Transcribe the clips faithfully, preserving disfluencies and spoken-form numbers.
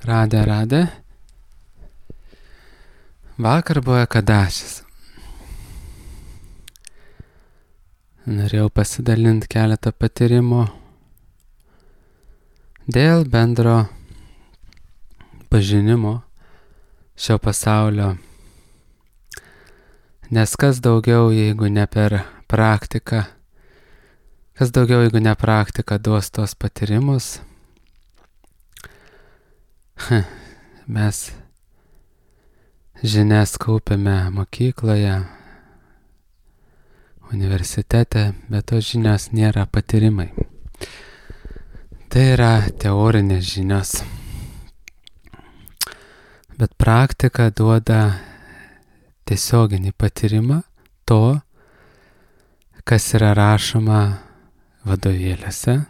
Radė, radė. Vakar buvo Ekadašis. Norėjau pasidalinti keletą patyrimo dėl bendro pažinimo šio pasaulio. Nes kas daugiau, jeigu ne per praktiką, kas daugiau, jeigu ne praktika, duos tos patyrimus. Mes žinias kaupiame mokykloje, universitete, bet tos žinios nėra patyrimai. Tai yra teorinės žinios. Bet praktika duoda tiesioginį patyrimą to, kas yra rašoma vadovėliuose,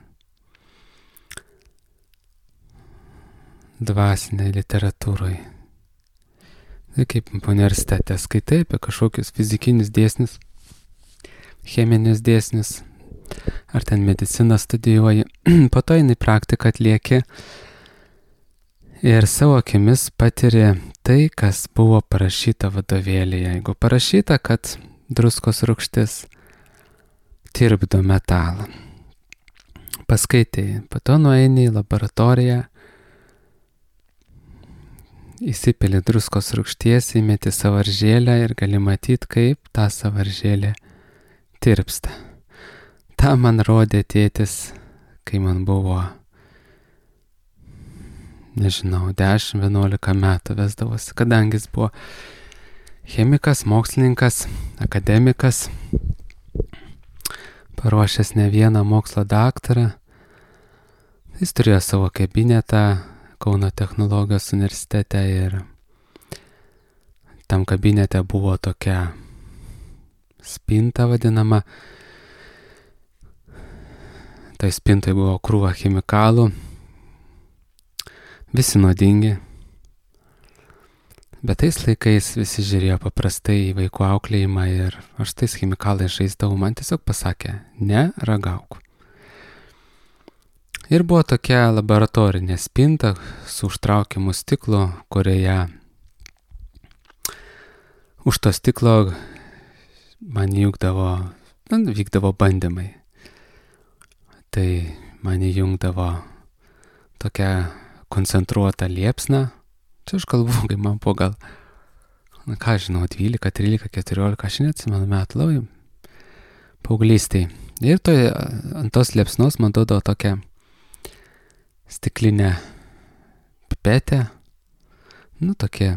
dvasinėje literatūroje. Tai kaip universitete skaitai apie kažkokius fizikinius dėsnius, cheminius dėsnius, ar ten mediciną studijuoji, po to eini praktiką atlieki ir savo akimis patiri tai, kas buvo parašyta vadovėlyje. Jeigu parašyta, kad druskos rūgštis tirpdo metalą, paskaitai, po to nueini į laboratoriją, įsipili druskos rūgšties, įmeti sąvaržėlę ir gali matyti, kaip ta sąvaržėlė tirpsta. Ta man rodė tėtis, kai man buvo, nežinau, dešimt vienuolika metų vesdavosi, kadangi jis buvo chemikas, mokslininkas, akademikas, paruošęs ne vieną mokslo daktarą. Jis turėjo savo kabinetą Kauno technologijos universitete ir tam kabinete buvo tokia spinta vadinama. Tai spintai buvo krūva chemikalų, visi nuodingi. Bet tais laikais visi žiūrėjo paprastai į vaikų auklėjimą ir aš tais chemikalais žaisdavau, man tiesiog pasakė, ne ragauk. Ir buvo tokia laboratorinė spinta su užtraukiamu stiklu, kurioje už to stiklo man įjungdavo, man vykdavo bandymai. Tai man įjungdavo tokia koncentruota liepsna. Čia aš kalbu, kai man buvo gal, na ką žinau, dvylika, trylika, keturiolika, aš neatsimenu metų labai paauglystėj. Ir to, ant tos liepsnos man duodavo tokią stiklinę pipetę, nu tokia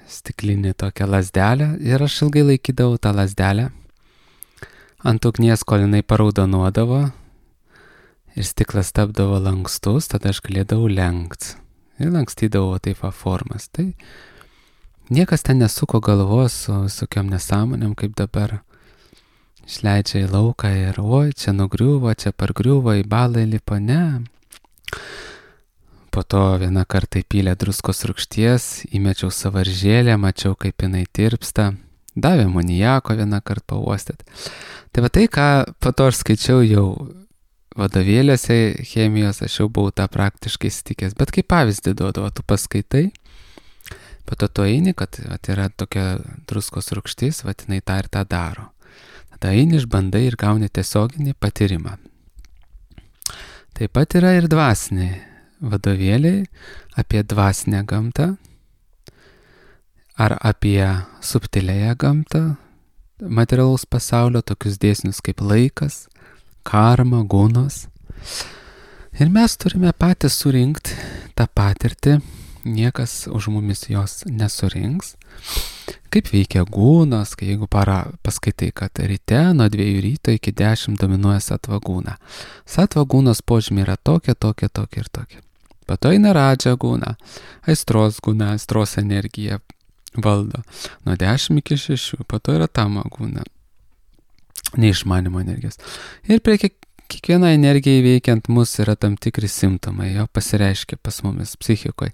stiklinė tokia lazdelė ir aš ilgai laikydavau tą lazdelę ant ugnies, kol jinai paraudonuodavo ir stiklas tapdavo lankstus, tada aš galėdavau lenkt ir lankstydavau taip formas. Tai niekas ten nesuko galvos su visokiom nesąmonėm, kaip dabar išleidžia į lauką ir oi, čia nugriuvo, čia pargriuvo, į balą įlipo, ne. Po to vieną kartą įpylė druskos rūgšties, įmečiau sąvaržėlę, mačiau, kaip jinai tirpsta, davė amonijako vieną kartą pauostėt. Tai va tai, ką po to aš skaičiau jau vadovėliuose chemijos, aš jau buvau tą praktiškai įsitikęs. Bet kaip pavyzdį duodavo, tu paskaitai, po to tu eini, kad vat, yra tokia druskos rūgštis, vat jinai tą ir tą daro. Tada eini, išbandai ir gauni tiesioginį patyrimą. Taip pat yra ir dvasiniai vadovėliai apie dvasinę gamtą ar apie subtilėją gamtą materialaus pasaulio, tokius dėsnius kaip laikas, karma, gunos. Ir mes turime patys surinkti tą patirtį, niekas už mumis jos nesurinks. Kaip veikia gūnos, kai jeigu para paskaitai, kad ryte nuo dviejų ryto iki dešimt dominuoja satva gūna. Satva gūnos požymiai yra tokia, tokia, tokia ir tokia. Po to eina radža gūna, aistros gūna, aistros energija valdo. Nuo dešimt iki šešių, po to yra tama gūna, neišmanimo energijos. Ir prie kiek, kiekvieną energiją įveikiant mus yra tam tikri simptomai, jo pasireiškia pas mumis psichikoje.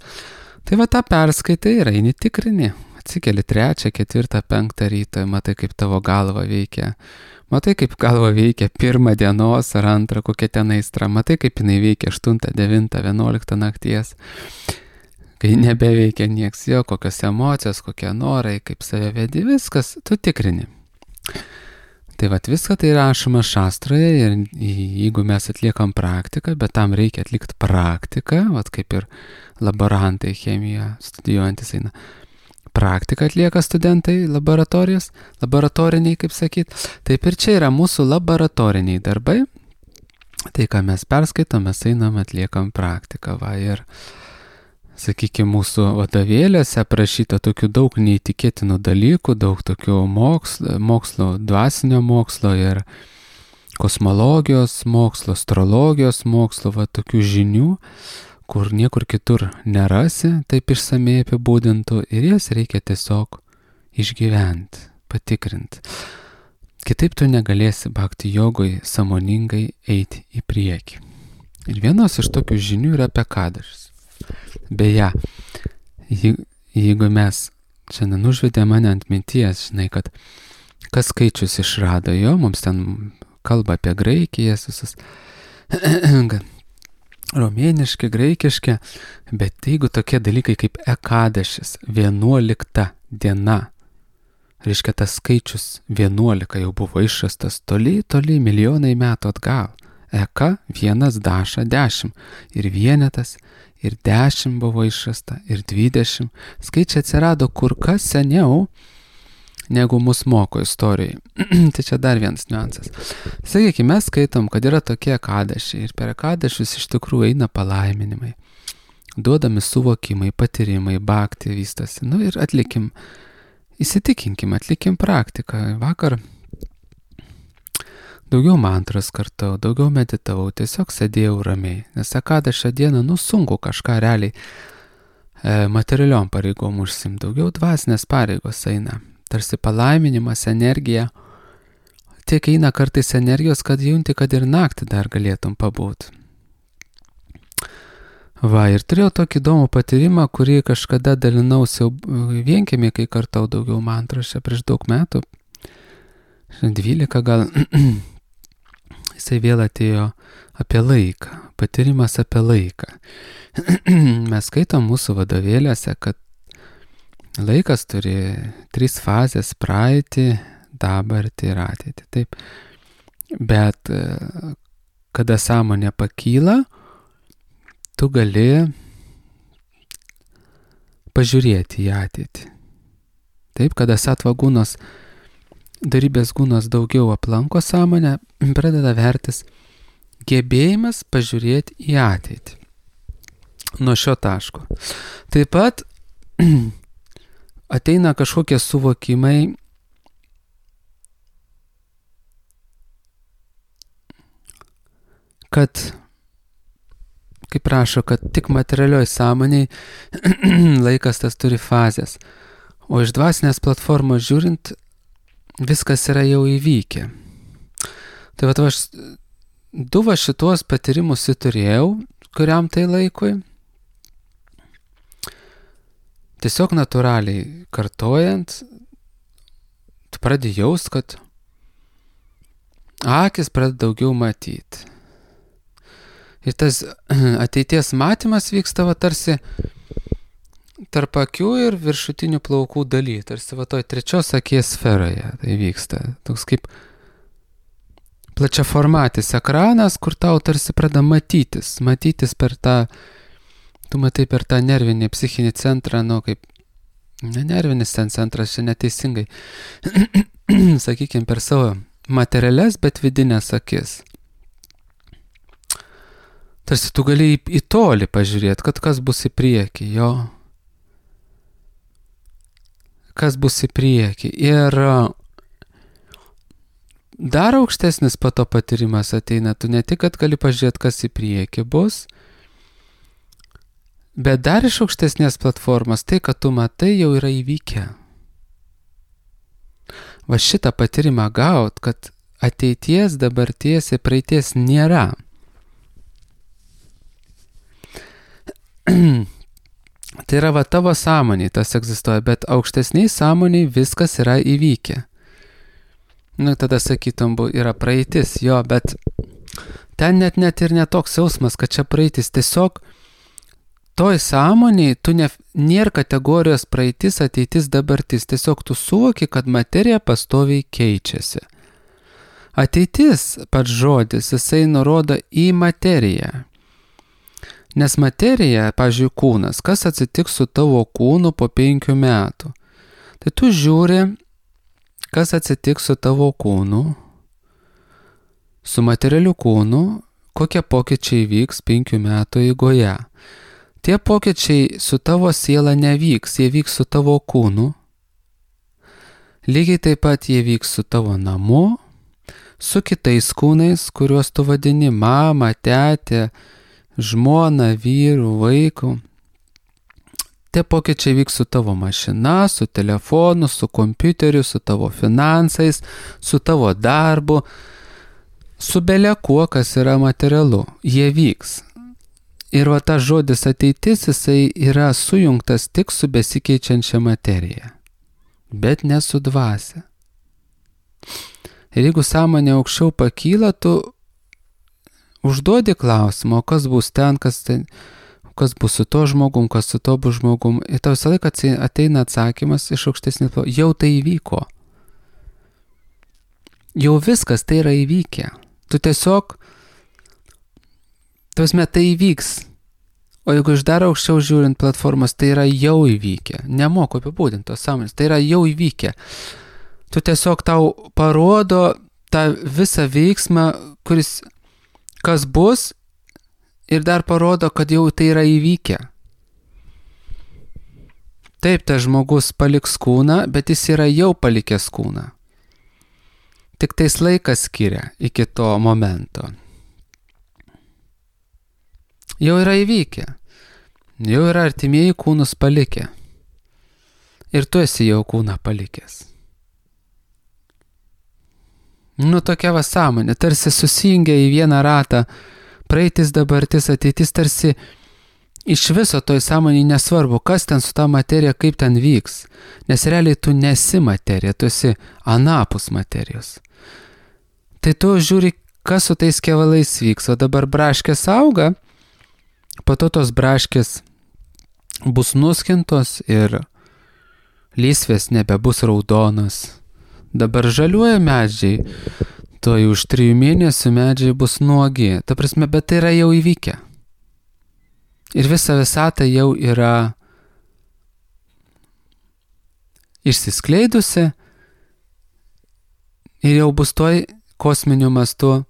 Tai va tą perskaitai ir eini tikrini. Atsikeli trečią, ketvirtą, penktą rytą, matai, kaip tavo galva veikia Matai, kaip galva veikia pirmą dienos ar antrą, kokia ten aistra. Matai, kaip jinai veikia aštuntą, devintą, vienuoliktą nakties. Kai nebeveikia nieks, jo, kokios emocijos, kokie norai, kaip save vedi, viskas, tu tikrini. Tai vat viską tai rašoma šastroje ir jeigu mes atliekam praktiką, bet tam reikia atlikti praktiką, vat kaip ir laborantai chemiją studijuojantis eina. Praktiką atlieka studentai laboratorijos, laboratoriniai, kaip sakyt. Taip ir čia yra mūsų laboratoriniai darbai. Tai, ką mes perskaitom, mes einam, atliekam praktiką. Va, ir, sakykime, mūsų vadovėliuose aprašyta tokių daug neįtikėtinų dalykų, daug tokių mokslo, mokslo, dvasinio mokslo ir kosmologijos mokslo, astrologijos mokslo, va, tokių žinių, kur niekur kitur nerasi, taip išsamei apibūdintų, ir jas reikia tiesiog išgyventi, patikrinti. Kitaip tu negalėsi bhakti jogoj sąmoningai eiti į priekį. Ir vienos iš tokių žinių yra apie kadašis. Beje, jeigu mes šiandien užvedė mane ant minties, žinai, kad kas skaičius išrado jo, mums ten kalba apie Graikijas visus, romėniški, graikiški, bet jeigu tokie dalykai kaip ekadašis, vienuolikta diena, reiškia tas skaičius vienuolika jau buvo išrastas toli, toli milijonai metų atgal. Eka, vienas, daša, dešimt. Ir vienetas, ir dešimt buvo išrasta, ir dvidešimt. Skaičiai atsirado kur kas seniau, negu mus moko istorijai. Tai čia dar vienas niuansas. Sakykime, mes skaitom, kad yra tokie ekadašiai, ir per ekadašius iš tikrųjų eina palaiminimai. Duodami suvokimai, patyrimai, bhakti vystosi. Nu ir atlikim, įsitikinkim, atlikim praktiką. Vakar daugiau mantras kartau, daugiau meditavau, tiesiog sėdėjau ramiai. Nes ekadašio dieną, nu sunku kažką realiai e, materialiom pareigom užsim. Daugiau dvasinės pareigos eina. Tarsi palaiminimas, energija. Tiek eina kartais energijos, kad junti, kad ir naktį dar galėtum pabūti. Va, ir turėjau tokį įdomų patyrimą, kurį kažkada dalinausi jau vienkiemį, kai kartau daugiau mantros, čia prieš daug metų. dvylika gal. Jisai vėl atėjo apie laiką. Patyrimas apie laiką. Mes skaitom mūsų vadovėliuose, kad laikas turi trys fazės: praeitį, dabartį ir ateitį. Taip. Bet kada sąmonė pakyla, tu gali pažiūrėti į ateitį. Taip, kada sattva gūnos, darybės gūnos daugiau aplanko sąmonę, pradeda vertis gebėjimas pažiūrėti į ateitį. Nuo šio taško. Taip pat ateina kažkokie suvokimai, kad, kaip rašo, kad tik materialioj sąmoniai laikas tas turi fazės, o iš dvasinės platformos žiūrint, viskas yra jau įvykę. Tai va, aš du va šitos patyrimus turėjau, kuriam tai laikui. Tiesiog natūraliai kartojant, tu pradedi jaust, kad akis pradeda daugiau matyti. Ir tas ateities matymas vyksta va tarsi tarp akių ir viršutinių plaukų daly, tarsi va toj trečios akies sferoje tai vyksta. Toks kaip plačiaformatis ekranas, kur tau tarsi pradeda matytis, matytis per tą, tu matai per tą nervinį, psichinį centrą, nu kaip, ne nervinis ten centras, čia neteisingai, sakykime, per savo materialias, bet vidinės akis. Tarsi tu gali į, į tolį pažiūrėti, kad kas bus į priekį, jo. Kas bus į priekį. Ir dar aukštesnis po to patyrimas ateina, tu ne tik, kad gali pažiūrėti, kas į priekį bus, bet dar iš aukštesnės platformos, tai, kad tu matai, jau yra įvykę. Va šitą patyrimą gaut, kad ateities, dabarties ir praeities nėra. Tai yra va tavo sąmoniai tas egzistuoja, bet aukštesniai sąmoniai viskas yra įvykę. Nu, tada sakytum, yra praeitis, jo, bet ten net net ir netoks jausmas, kad čia praeitis. Tiesiog toj sąmoniai tu ne, nėra kategorijos praeitis, ateitis, dabartis. Tiesiog tu suvoki, kad materija pastoviai keičiasi. Ateitis, pats žodis, jisai nurodo į materiją. Nes materija, pavyzdžiui, kūnas, kas atsitiks su tavo kūnu po penkių metų? Tai tu žiūri, kas atsitiks su tavo kūnu, su materialiu kūnu, kokie pokyčiai vyks penkių metų eigoje. Tie pokyčiai su tavo siela nevyks, jie vyks su tavo kūnu. Lygiai taip pat jie vyks su tavo namu, su kitais kūnais, kuriuos tu vadini mama, tetė, žmona, vyru, vaiku. Tie pokyčiai vyks su tavo mašina, su telefonu, su kompiuteriu, su tavo finansais, su tavo darbu, su bele kuo, kas yra materialu. Jie vyks. Ir va tas žodis ateitis, jisai yra sujungtas tik su besikeičiančia materija, bet ne su dvasia. Ir jeigu sąmonė aukščiau pakyla, tu užduodi klausimą, o kas bus ten, kas ten, kas bus su to žmogum, kas su to bus žmogum. Ir tau visą laiką ateina atsakymas iš aukštesnės, jau tai įvyko. Jau viskas tai yra įvykę. Tu tiesiog, tuosme, tai įvyks. O jeigu iš dar aukščiau žiūrint platformas, tai yra jau įvykę. Nemoku apibūdinti tos sąmonės, tai yra jau įvykę. Tu tiesiog tau parodo tą visą veiksmą, kuris, kas bus, ir dar parodo, kad jau tai yra įvykę. Taip, tas žmogus paliks kūną, bet jis yra jau palikęs kūną. Tik tais laikas skiria iki to momento. Jau yra įvykę. Jau yra artimieji kūnus palikę. Ir tu esi jau kūną palikęs. Nu, tokia va sąmonė, tarsi susijungia į vieną ratą. Praeitis, dabartis, ateitis, tarsi iš viso toj sąmonėj nesvarbu, kas ten su ta materija, kaip ten vyks. Nes realiai tu nesi materija, tu esi anapus materijos. Tai tu žiūri, kas su tais kevalais vyks. O dabar braškės auga, po to tos braškės bus nuskintos ir lysvės nebebus raudonos. Dabar žaliuoja medžiai. Toj už trijų mėnesių medžiai bus nuogi. Ta prasme, bet tai yra jau įvykę. Ir visa visata jau yra išsiskleidusi ir jau bus toj kosminiu mastu.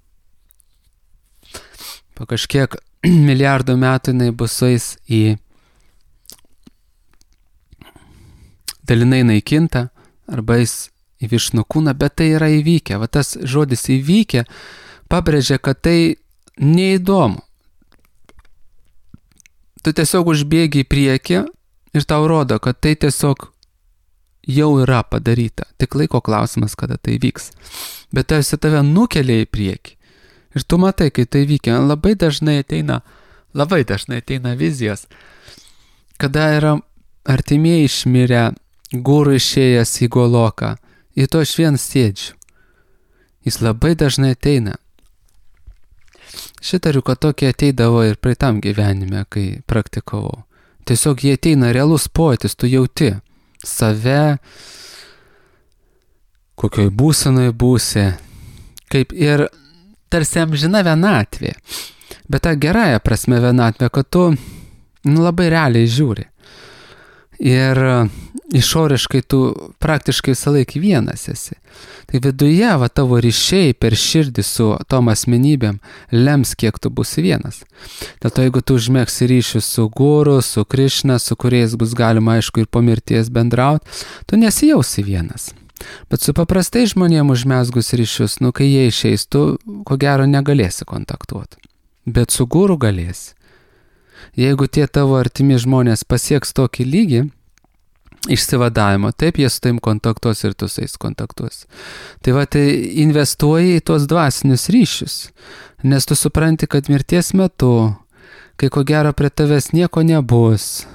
Po kažkiek milijardų metų jinai bus sueis į dalinai naikinta arba jis į višnų kūną, bet tai yra įvykę. Va tas žodis įvykę pabrėžia, kad tai neįdomu. Tu tiesiog užbėgi į priekį ir tau rodo, kad tai tiesiog jau yra padaryta. Tik laiko klausimas, kada tai vyks. Bet tarsi tave nukelia į priekį. Ir tu matai, kai tai vykia. Labai dažnai ateina, labai dažnai ateina vizijos, kada yra artimieji išmirę, guru išėjęs į Goloką. Ir to aš vien sėdžiu. Jis labai dažnai ateina. Šitariu, kad tokie ateidavo ir praeitam gyvenime, kai praktikavau. Tiesiog jie ateina realus pojūtis, tu jauti save, kokioj būsenoj būsi, kaip ir tarsi amžina vienatvė. Bet ta gerąja prasme vienatvė, kad tu nu, labai realiai žiūri. Ir išoriškai tu praktiškai visą laikį vienas esi. Tai viduje va, tavo ryšiai per širdį su tom asmenybėm lems, kiek tu būsi vienas. Dėl to, jeigu tu užmegsi ryšius su guru, su Krišna, su kuriais bus galima, aišku, ir po mirties bendrauti, tu nesijausi vienas. Bet su paprastai žmonėm užmesgus ryšius, nu, kai jie išeis, tu ko gero negalėsi kontaktuoti. Bet su guru galėsi. Jeigu tie tavo artimi žmonės pasieks tokį lygį išsivadavimo, taip jie su taim kontaktuos ir tu su jais kontaktuos. Tai va, tai investuoji į tuos dvasinius ryšius, nes tu supranti, kad mirties metu, kai ko gero prie tavęs nieko nebus,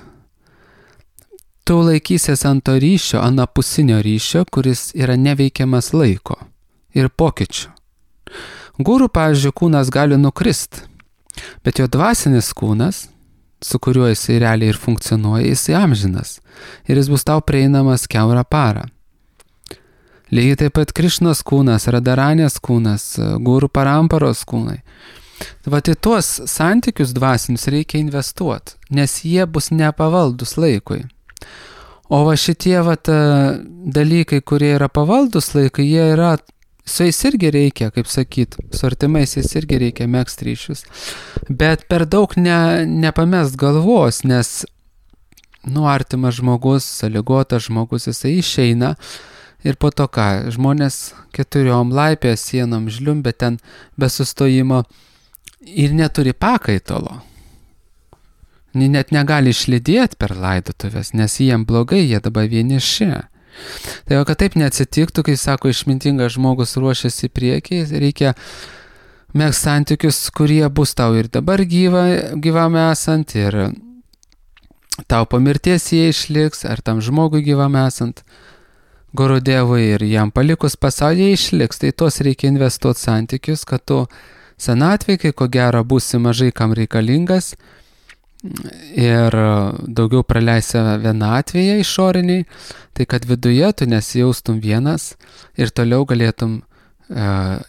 tu laikysies ant to ryšio, anapusinio ryšio, kuris yra neveikiamas laiko. ir pokyčių. Guru, pavyzdžiui, kūnas gali nukrist, bet jo dvasinis kūnas, su kuriuo jisai realiai ir funkcionuoja, jisai amžinas ir jis bus tau prieinamas kiaurą parą. Lygiai taip pat Krišnos kūnas, Radaranės kūnas, Guru Paramparos kūnai. Vat į tuos santykius dvasinius reikia investuoti, nes jie bus nepavaldus laikui. O va šitie vat, dalykai, kurie yra pavaldus laikui, jie yra, su jais irgi reikia, kaip sakyt, su artimais jais irgi reikia megzti ryšius. Bet per daug ne, nepamest galvos, nes nu, artimas žmogus, sąlygotas žmogus, jisai išeina ir po to ką, žmonės keturiom laipėje sienom žliumbė ten be sustojimo ir neturi pakaitalo. Net negali išlydėti per laidotuvės, nes jiem blogai, jie dabar vieniši. Tai va, kad taip neatsitiktų, kai sako išmintingas žmogus ruošiasi į priekį, reikia megzti santykius, kurie bus tau ir dabar gyva, gyvam esant, ir tau po mirties jie išliks, ar tam žmogui gyvam esant, Gurudevui ir jam palikus pasaulį išliks. Tai tos reikia investuoti santykius, kad tu senatvėj, kai ko gero būsi mažai kam reikalingas ir daugiau praleisi vienatvėje išoriniai, tai kad viduje tu nesijaustum vienas ir toliau galėtum uh,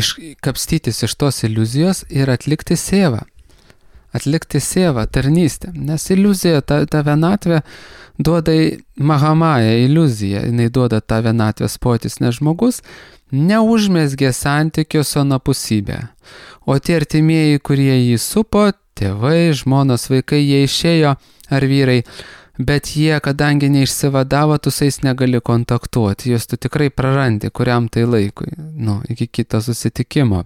iškapstytis iš tos iliuzijos ir atlikti sėvą. Atlikti sėvą, tarnystę. Nes iliuzija, ta, ta vienatvė duoda Mahamaja iliuziją, jinai duoda tą vienatvės pojūtis, nes žmogus neužmezgė santykių su anapusybė. O tie artimieji, kurie jį supo, tėvai, žmonos, vaikai, jie išėjo, ar vyrai, bet jie, kadangi neišsivadavo, tu su jais negali kontaktuoti, juos tu tikrai prarandi, kuriam tai laikui, nu, iki kito susitikimo.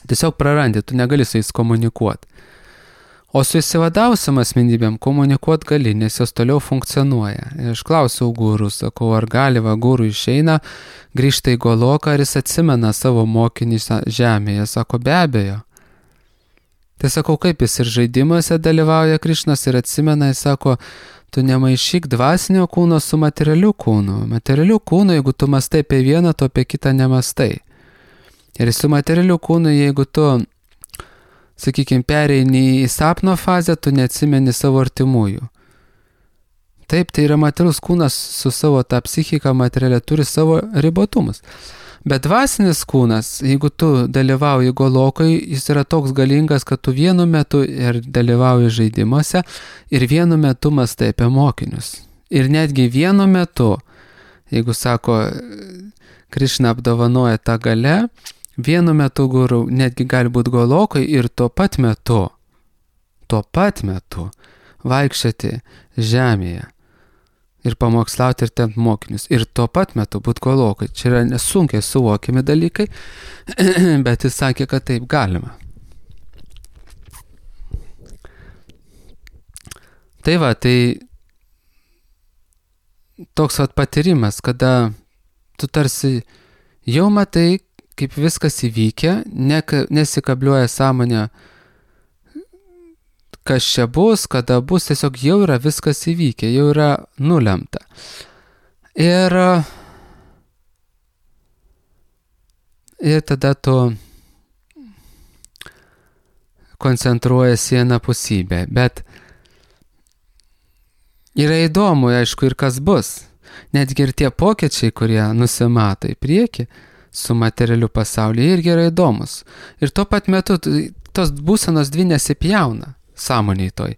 Tiesiog prarandi, tu negali su jais komunikuoti. O su įsivadavusiam asmenybėm komunikuoti gali, nes jos toliau funkcionuoja. Ir aš klausiau gurų, sakau, ar gali va gurų išeina, grįžta į Goloką, ar jis atsimena savo mokinį žemėje. Sako, be abejo. Tai sakau, kaip jis ir žaidimuose dalyvauja Krišnas ir atsimena, jis sako, tu nemaišyk dvasinio kūno su materialiu kūnu. Materialiu kūnu, jeigu tu mastai apie vieną, tu apie kitą nemastai. Ir su materialiu kūnu, jeigu tu, sakykime, pereini į sapno fazę, tu neatsimeni savo artimųjų. Taip, tai yra materialus kūnas su savo tą psichiką materialę, turi savo ribotumus. Bet dvasinis kūnas, jeigu tu dalyvauji Golokai, jis yra toks galingas, kad tu vienu metu ir dalyvauji žaidimuose ir vienu metu mastai apie mokinius. Ir netgi vienu metu, jeigu sako, Krišna apdovanoja tą galę, vienu metu guru netgi gali būti Golokai ir tuo pat metu, tuo pat metu vaikščioti žemėje ir pamokslauti ir tempt mokinius. Ir tuo pat metu būti Golokai. Čia yra nesunkiai suvokiami dalykai, bet jis sakė, kad taip galima. Tai va, tai toks vat patyrimas, kada tu tarsi jau matai, kaip viskas įvykia, ne, nesikabliuoja sąmonė, kas čia bus, kada bus, tiesiog jau yra viskas įvykę, jau yra nulemta. Ir, ir tada tu koncentruojasi į anapusybę, bet yra įdomu, aišku, ir kas bus. Netgi ir tie pokyčiai, kurie nusimato į priekį, su materialiu pasauliu, irgi yra įdomus. Ir tuo pat metu tos būsenos dvi nesipjauna sąmoniai toj.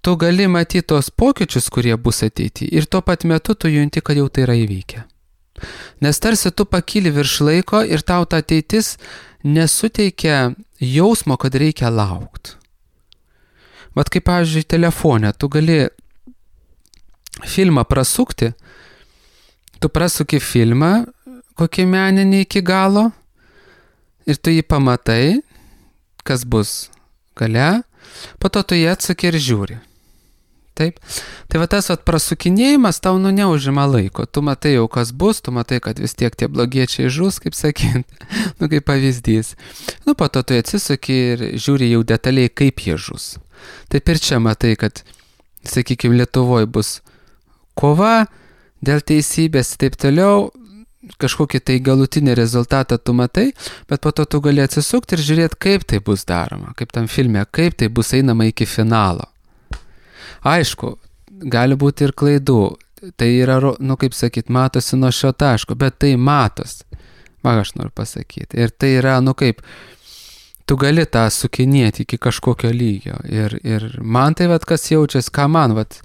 Tu gali matyti tos pokyčius, kurie bus ateity, ir tuo pat metu tu junti, kad jau tai yra įvykę. Nes tarsi tu pakyli virš laiko ir tau ta ateitis nesuteikia jausmo, kad reikia laukti. Vat kaip, pavyzdžiui, telefone, tu gali filmą prasukti, tu prasuki filmą, kokį meninį iki galo, ir tu jį pamatai, kas bus gale, po to tu jį atsuki ir žiūri. Taip? Tai va tas vat prasukinėjimas tau nu neužima laiko. Tu matai jau kas bus, tu matai, kad vis tiek tie blogiečiai žus, kaip sakyt, nu kaip pavyzdys. Nu po to tu atsisuki ir žiūri jau detaliai, kaip jie žus. Taip ir čia matai, kad, sakykime, Lietuvoje bus kova dėl teisybės, taip toliau. kažkokį tai galutinį rezultatą tu matai, bet po to tu gali atsisukti ir žiūrėti, kaip tai bus daroma, kaip tam filme, kaip tai bus einama iki finalo. Aišku, gali būti ir klaidų, tai yra, nu kaip sakyt, matosi nuo šio taško, bet tai matos, va aš noriu pasakyti. Ir tai yra, nu kaip, tu gali tą sukinėti iki kažkokio lygio. Ir, ir man tai, vat, kas jaučiasi, ką man, vat,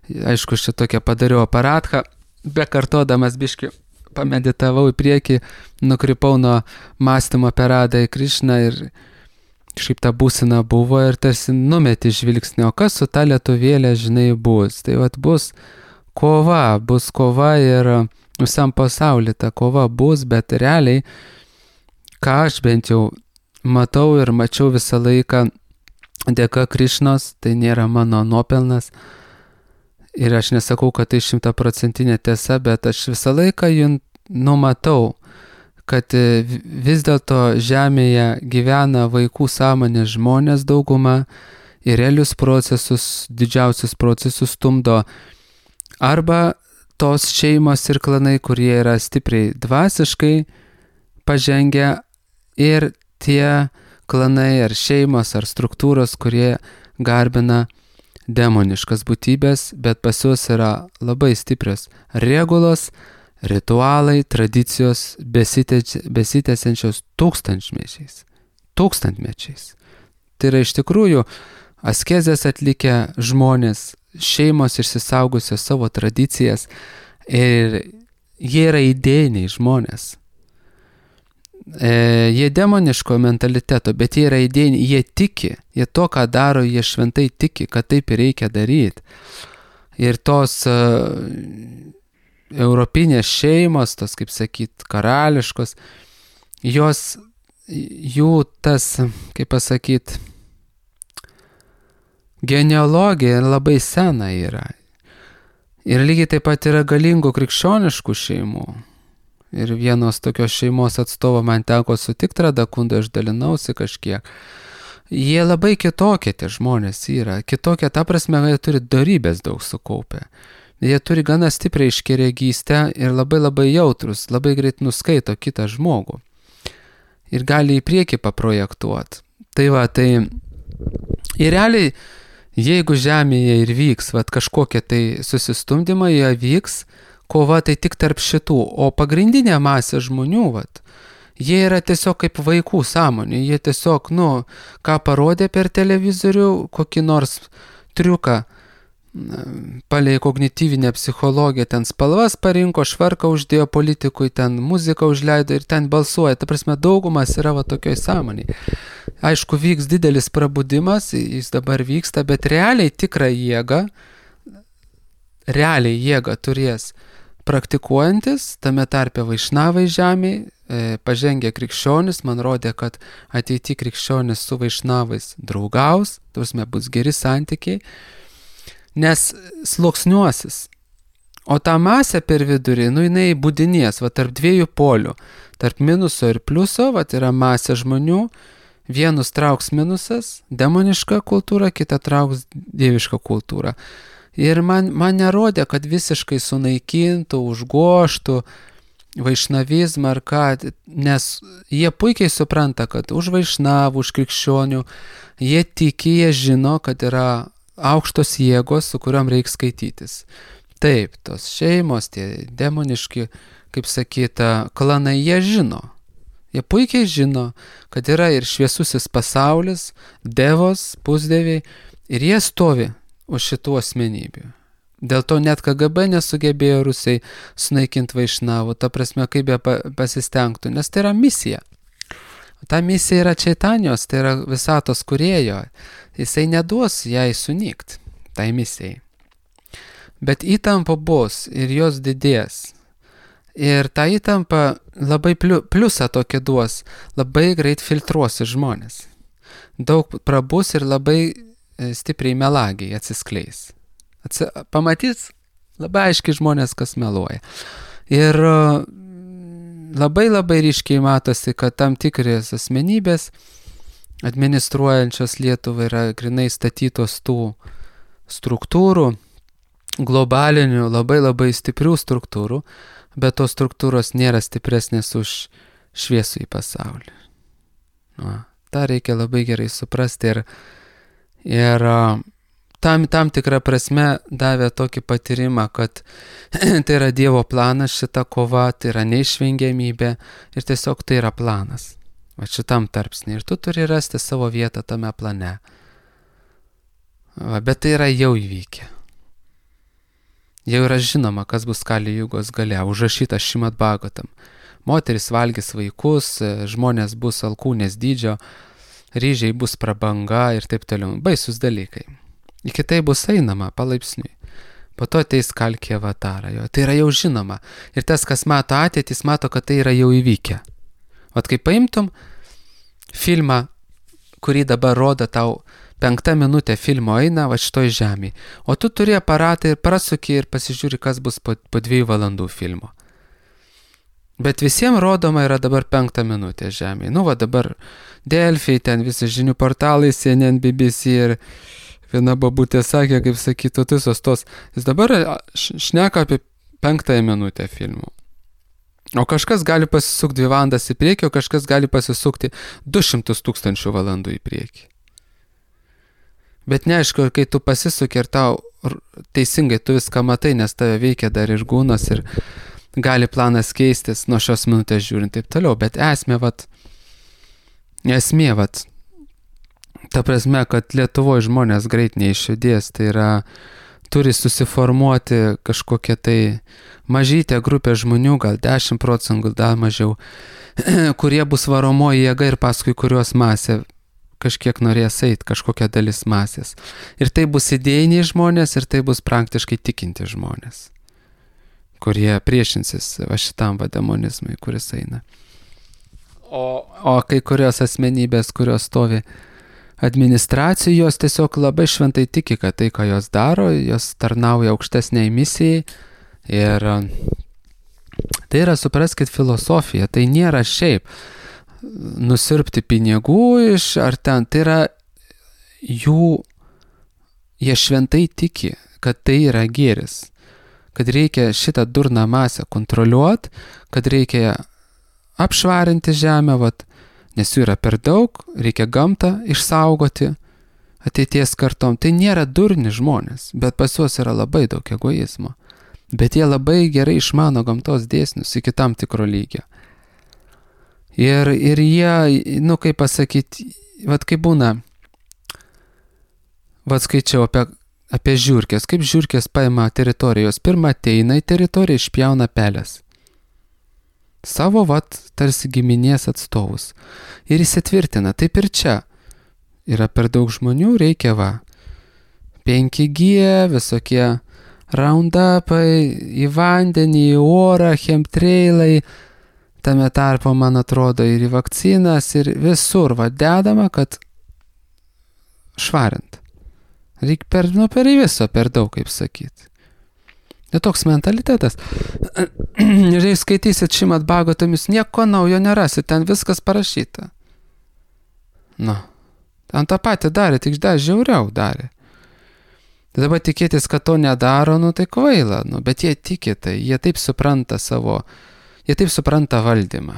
aišku, aš čia tokią padariau aparatą, bekartodamas biškį pameditavau į priekį, nukrypau nuo mąstymo apie Radą į Krišną ir šiaip ta būsena buvo ir tarsi numeti žvilgsnį, o kas su ta lietuvėlė, žinai, bus. Tai vat bus kova, bus kova ir visam pasaulyje ta kova bus, bet realiai, ką aš bent jau matau ir mačiau visą laiką dėka Krišnos, tai nėra mano nuopelnas. Ir aš nesakau, kad tai šimtaprocentinė tiesa, bet aš visą laiką jų numatau, kad vis dėlto žemėje gyvena vaikų sąmonės žmonės dauguma ir realius procesus, didžiausius procesus stumdo arba tos šeimos ir klanai, kurie yra stipriai dvasiškai pažengę ir tie klanai ar šeimos ar struktūros, kurie garbina demoniškas būtybės, bet pas juos yra labai stiprios regulos, ritualai, tradicijos besitęsiančios tūkstantmečiais. Tūkstantmečiais. Tai yra iš tikrųjų askezės atlikę žmonės, šeimos išsisaugusios savo tradicijas ir jie yra idėjiniai žmonės. E, jie demoniško mentaliteto, bet jie yra idėjiniai, jie tiki, jie to, ką daro, jie šventai tiki, kad taip ir reikia daryti. Ir tos uh, europinės šeimos, tos, kaip sakyt, karališkos, jos, jų tas, kaip pasakyt, genealogija labai sena yra. Ir lygiai taip pat yra galingų krikščioniškų šeimų. Ir vienos tokios šeimos atstovo man teko sutikti Radakundą, aš dalinausi kažkiek. Jie labai kitokie tie žmonės yra. Kitokie, ta prasme, jie turi dorybės daug sukaupę. Jie turi gana stipriai iškeregystę ir labai labai jautrus, labai greit nuskaito kitą žmogų. Ir gali į priekį paprojektuoti. Tai va, tai ir realiai, jeigu žemėje ir vyks vat, kažkokie tai susistumdymai, jie vyks, kova tai tik tarp šitų, o pagrindinė masė žmonių, vat, jie yra tiesiog kaip vaikų sąmonė, jie tiesiog, nu, ką parodė per televizorių, kokį nors triuką, palei kognityvinę psichologiją, ten spalvas parinko, švarką uždėjo politikui, ten muziką užleido ir ten balsuoja, ta prasme, daugumas yra va tokioj sąmonėj. Aišku, vyks didelis prabudimas, jis dabar vyksta, bet realiai tikrą jėgą, realiai jėgą turės praktikuojantis, tame tarpe vaišnavai žemėj, e, pažengę krikščionis, man rodė, kad ateity krikščionis su vaišnavais draugaus, tuosme bus geri santykiai, nes sluoksniuosis. O ta masė per vidurį, nu jinai būdinės, va tarp dviejų polių, tarp minuso ir pliuso, va yra masė žmonių, vienus trauks minusas, demoniška kultūra, kita trauks dieviška kultūra. Ir man, man nerodė, kad visiškai sunaikintų, užgoštų vaišnavizmą ar ką, nes jie puikiai supranta, kad už vaišnavų, už krikščionių, jie tiki, jie žino, kad yra aukštos jėgos, su kuriuom reikia skaitytis. Taip, tos šeimos, tie demoniški, kaip sakyta, klanai, jie žino. Jie puikiai žino, kad yra ir šviesusis pasaulis, devos, pusdeviai, ir jie stovi už šitų asmenybių. Dėl to net K G B nesugebėjo Rusai sunaikinti vaišnavų, ta prasme, kaip jie pasistengtų, nes tai yra misija. Ta misija yra Čaitanijos, tai yra visatos kūrėjo. Jisai neduos jai sunykti, tai misijai. Bet įtampa bus ir jos didės. Ir ta įtampa labai pliusą tokį duos, labai greit filtruosi žmonės. Daug prabus ir labai stipriai melagiai atsiskleis. Atsi... Pamatys labai aiškiai žmonės, kas meluoja. Ir labai labai ryškiai matosi, kad tam tikris asmenybės administruojančios Lietuvą yra grinai statytos tų struktūrų, globalinių, labai labai stiprių struktūrų, bet tos struktūros nėra stipresnės už šviesų į pasaulį. Va, tą reikia labai gerai suprasti ir, ir tam, tam tikrą prasme davė tokį patyrimą, kad tai yra Dievo planas, šita kova, tai yra neišvengiamybė ir tiesiog tai yra planas. Va šitam tarpsnį. Ir tu turi rasti savo vietą tame plane. Va, bet tai yra jau įvykę. Jau yra žinoma, kas bus Kali Jugos gale, užrašyta Šrimad Bhagavatam. Moteris valgys vaikus, žmonės bus alkūnės dydžio, ryžiai bus prabanga ir taip toliau. Baisus dalykai. Iki tai bus einama palaipsniui. Po to ateis Kalki Avatara. Jo. Tai yra jau žinoma. Ir tas, kas mato ateitį, jis mato, kad tai yra jau įvykę. Vat kai paimtum filmą, kurį dabar rodo tau, penkta minutė filmo eina va šitoj žemėje, o tu turi aparatą ir prasuki ir pasižiūri, kas bus po, po dviejų valandų filmo. Bet visiems rodoma yra dabar penkta minutė žemėje. Nu va dabar Delfi, ten visi žinių portalai, C N N, B B C ir viena babutė sakė, kaip sakytų, visos tos. Jis dabar šneka apie penktąją minutę filmų. O kažkas gali pasisukti dvi valandas į priekį, o kažkas gali pasisukti du šimtus tūkstančių valandų į priekį. Bet neaišku, kai tu pasisuki ir tau teisingai tu viską matai, nes tave veikia dar ir gūnas ir gali planas keistis nuo šios minutės žiūrint taip toliau. Bet esmė, vat, esmė, vat, ta prasme, kad Lietuvoje žmonės greit neišjudės, tai yra, turi susiformuoti kažkokia tai mažytė grupė žmonių, gal dešimt procentų, gal dar mažiau, kurie bus varomoji jėga ir paskui kurios masė kažkiek norės eit, kažkokia dalis masės. Ir tai bus idėjiniai žmonės, ir tai bus praktiškai tikinti žmonės, kurie priešinsis va šitam va demonizmui, kuris eina. O, o kai kurios asmenybės, kurios stovi administracijų, jos tiesiog labai šventai tiki, kad tai, ką jos daro, jos tarnauja aukštesniai misijai. Ir tai yra, supraskit, filosofija, tai nėra šiaip nusirpti pinigų iš ar ten, tai yra jų, jie šventai tiki, kad tai yra gėris, kad reikia šitą durną masę kontroliuoti, kad reikia apšvarinti žemę, vat, nes jų yra per daug, reikia gamtą išsaugoti ateities kartom. Tai nėra durni žmonės, bet pas juos yra labai daug egoizmo. Bet jie labai gerai išmano gamtos dėsnius iki tam tikro lygio. Ir, ir jie, nu kaip pasakyti, vat kaip būna, vat skaičiau apie, apie žiurkės, kaip žiurkės paima teritorijos, pirmą ateina į teritoriją, išpjauna pelės. Savo, vat, tarsi giminės atstovus. Ir įsitvirtina, taip ir čia. Yra per daug žmonių, reikia va, penki G, visokie roundupai, į vandenį, į orą, chemtrailai, tame tarpo, man atrodo, ir į vakcinas, ir visur, va, dedama, kad švarint. Reikia per, nu, per viso, per daug, kaip sakyti. Tai toks mentalitetas. Ir jei skaitysit Šrimad Bhagavatam, jūs nieko naujo nerasit, ten viskas parašyta. Nu, ten tą patį darė, tik dar žiauriau darė. Tai dabar tikėtis, kad to nedaro, nu tai kvaila, nu, bet jie tiki tai, jie taip supranta savo, jie taip supranta valdymą.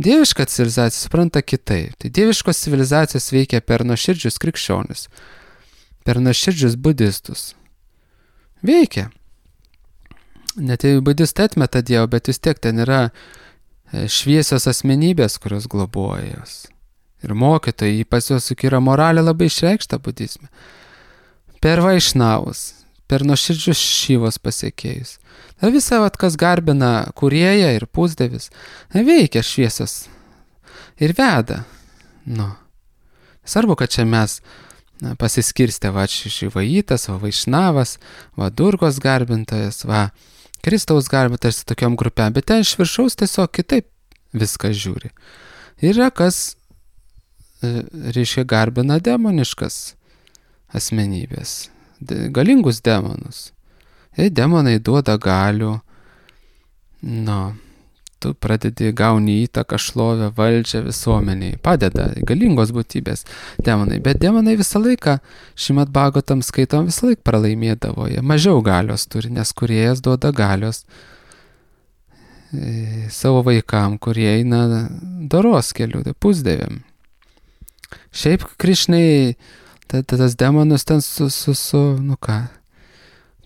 Dieviška civilizacija supranta kitaip. Tai dieviškos civilizacijos veikia per nuoširdžius krikščionis, per nuoširdžius budistus. Veikia. Net jei budistai atmeta Dievą, bet vis tiek ten yra šviesios asmenybės, kurios globoja jos. Ir mokytojai, pas juos juk yra moralė labai išreikšta budizme. Per vaišnavus, per nuoširdžius šyvos pasiekėjus. Tai visa, vat, kas garbina kūrėją ir pusdievis, veikia šviesios ir veda. Nu. Svarbu, kad čia mes na, pasiskirstę, va, Šivajitas, va, Vaišnavas, va, Durgos garbintojas, va, Kristaus garbintojas tokiom grupėm, bet ten iš viršaus tiesiog kitaip viską žiūri. Yra kas, reiškia, garbina demoniškas asmenybės, galingus demonus. Ir demonai duoda galių, nu, tu pradedi gauni įtaką, šlovę, valdžią visuomeniai. Padeda galingos būtybės demonai. Bet demonai visą laiką, Šrimad Bhagavatam skaitom, visą laiką pralaimėdavo. Jie mažiau galios turi, nes kūrėjas duoda galios e, savo vaikam, kurie eina doros keliu, tai pusdėvėm. Šiaip Krišnai ta, ta, tas demonus ten su, su, su nu ką,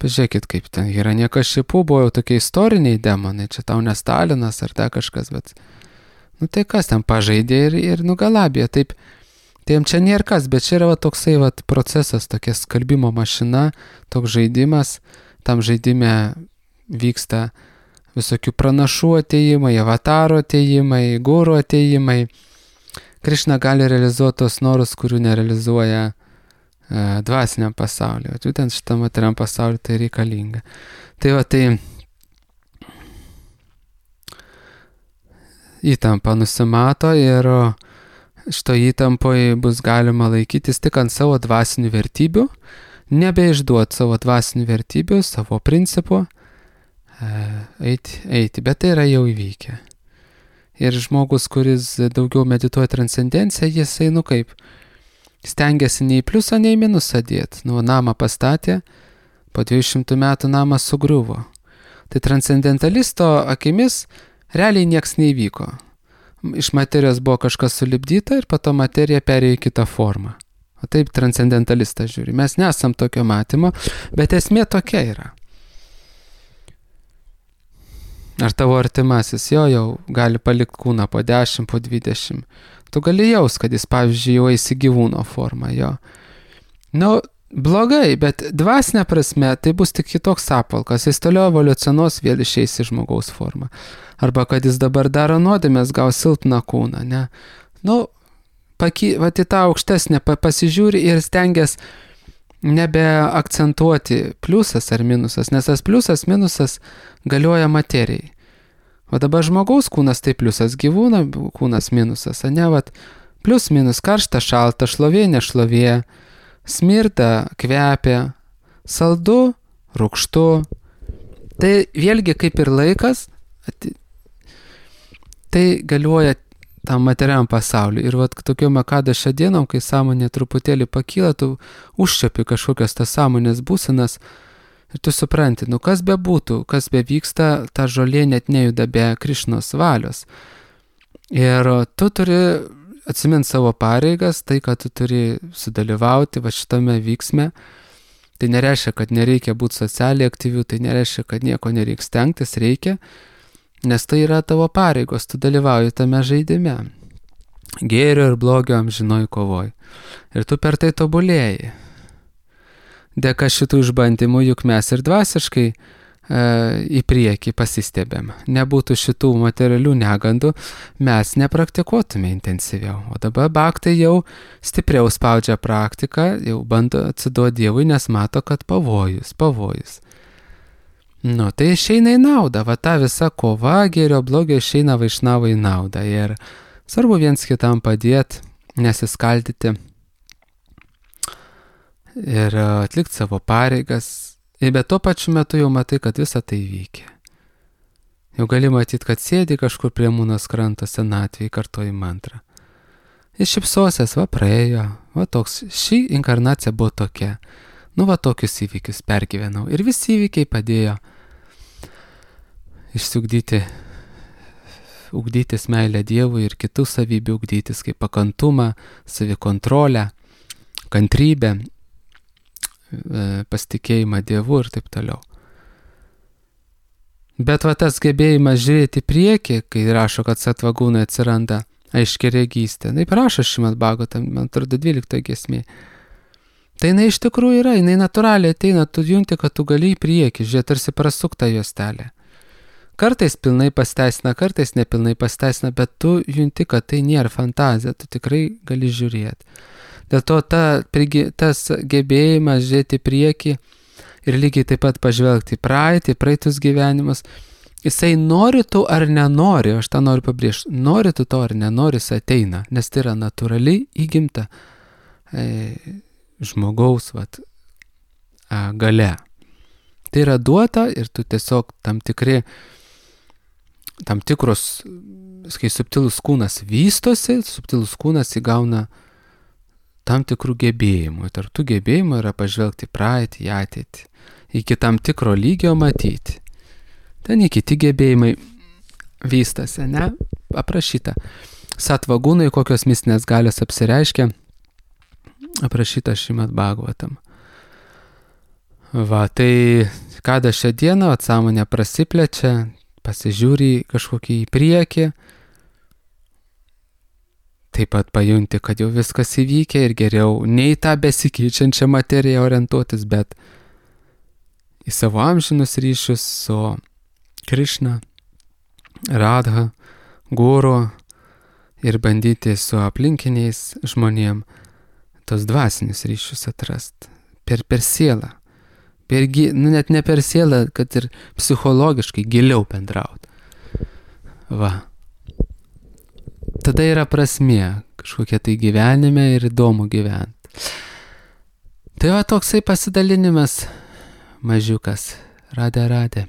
pažiūrėkit, kaip ten yra niekas šipų, buvo jau tokie istoriniai demonai, čia tau ne Stalinas ar ta kažkas, bet, nu tai kas ten pažaidė ir, ir nugalabė, taip, tai jam čia nėra kas, bet čia yra va, toksai va, procesas, tokia skalbimo mašina, toks žaidimas, tam žaidime vyksta visokių pranašų atėjimai, avataro atėjimai, guru atėjimai. Krišna gali realizuoti tos norus, kurių nerealizuoja e, dvasiniam pasauliu. O būtent šitam materiam pasauliu tai reikalinga. Tai va, tai įtampa nusimato ir šito įtampoje bus galima laikytis tik ant savo dvasinių vertybių, nebeišduoti savo dvasinių vertybių, savo principų, e, eiti, eiti, bet tai yra jau įvykę. Ir žmogus, kuris daugiau medituoja transcendenciją, jisai, nu kaip, stengiasi nei pliusą, nei minusą dėti. Nu, namą pastatė, po dviejų šimtų metų namas sugriuvo. Tai transcendentalisto akimis realiai nieks neįvyko. Iš materijos buvo kažkas sulipdyta ir po to materija perėjo į kitą formą. O taip transcendentalistas žiūri. Mes nesam tokio matymo, bet esmė tokia yra. Ar tavo artimasis jo jau gali palikti kūną po dešimt, po dvidešimt. Tu gali jaus, kad jis, pavyzdžiui, jau eisi gyvūno formą, jo. Nu, blogai, bet dvasinė prasme tai bus tik kitoks apvalkas. Jis toliau evoliucionuos, vėl išeis į žmogaus formą. Arba kad jis dabar daro nuodėmės, gaus silpną kūną, ne. Nu, paki, va, į tą aukštesnę pasižiūri ir stengias nebeakcentuoti pliusas ar minusas, nes tas pliusas, minusas galioja materijai. O dabar žmogaus kūnas tai pliusas, gyvūno kūnas minusas, ne, vat, plius minus, karšta, šalta, šlovė, nešlovė, smirda, kvepia, saldu, rūgštu. Tai vėlgi kaip ir laikas, tai galioja tam materiam pasauliu. Ir vat tokiom akadašio dienom, kai sąmonė truputėlį pakyla, tu užčiapi kažkokias tas sąmonės būsenas ir tu supranti, nu kas be būtų, kas be vyksta, ta žolė net nejuda be Krišnos valios. Ir tu turi atsiminti savo pareigas, tai, kad tu turi sudalyvauti va šitame vyksme. Tai nereiškia, kad nereikia būti socialiai aktyvių, tai nereiškia, kad nieko nereikia stengtis, reikia. Nes tai yra tavo pareigos, tu dalyvauji tame žaidime. Gėrio ir blogio amžinoj kovoj. Ir tu per tai tobulėjai. Dėka šitų išbandymų, juk mes ir dvasiškai e, į priekį pasistebėm. Nebūtų šitų materialių negandų, mes nepraktikuotume intensyviau. O dabar bhaktai jau stipriau spaudžia praktiką, jau bando atsiduoti Dievui, nes mato, kad pavojus, pavojus. Nu, tai išeina į naudą, va ta visa kova gėrio blogio išeina vaišnavo į naudą ir svarbu viens kitam padėti, nesiskaldyti ir atlikti savo pareigas, bet tuo pačiu metu jau matai, kad visa tai veikia. Jau gali matyti, kad sėdi kažkur prie Mūnos kranto senatvėje, kartoji mantrą. Jis šipsosies, va praėjo, va toks, ši inkarnacija buvo tokia, nu va tokius įvykius pergyvenau ir visi įvykiai padėjo išsiugdyti, ugdytis meilę Dievui ir kitų savybių ugdytis, kaip pakantumą, savikontrolę, kantrybę, pasitikėjimą Dievu ir taip toliau. Bet va tas gebėjimas žiūrėti priekį, kai rašo, kad satvagūnai atsiranda aiški regystė, taip rašo Šrimad Bhagavatam, man atrodo, dvyliktoje giesmėje. Tai jinai iš tikrųjų yra, jinai natūraliai ateina, tu junti, kad tu gali į priekį, žiūrėti, tarsi prasukta juostelė. Kartais pilnai pasteisina, kartais nepilnai pasteisina, bet tu junti, kad tai nėra fantazija, tu tikrai gali žiūrėti. Dėl to ta, tas gebėjimas žiūrėti priekį ir lygiai taip pat pažvelgti į praeitį, praeitus gyvenimus, jisai nori tu ar nenori, aš tą noriu pabrėžti, nori tu to ar nenori, jis ateina, nes tai yra natūraliai įgimta e, žmogaus vat, a, gale. Tai yra duota ir tu tiesiog tam tikri tam tikros, kai subtilus kūnas vystosi, subtilus kūnas įgauna tam tikrų gebėjimų. Tarp tų gebėjimų yra pažvelgti praeitį, į ateitį, iki tam tikro lygio matyti. Ten į kiti gebėjimai vystasi, ne? Aprašyta. Satvagūnai, kokios mistinės galios apsireiškia, aprašyta Šrimad Bhagavatam. Va, tai kada šią dieną atsąmonė prasiplečia, pasižiūri kažkokį į priekį, taip pat pajunti, kad jau viskas įvykę ir geriau ne į tą besikeičiančią materiją orientuotis, bet į savo amžinus ryšius su Krišna, Radha, Guru ir bandyti su aplinkiniais žmonėm tos dvasinius ryšius atrast. Per, per sielą. Per, nu, net ne per sielą, kad ir psichologiškai giliau bendraut. Va. Tada yra prasmė kažkokia tai gyvenime ir įdomu gyventi. Tai va toksai pasidalinimas mažiukas. Radė, radė.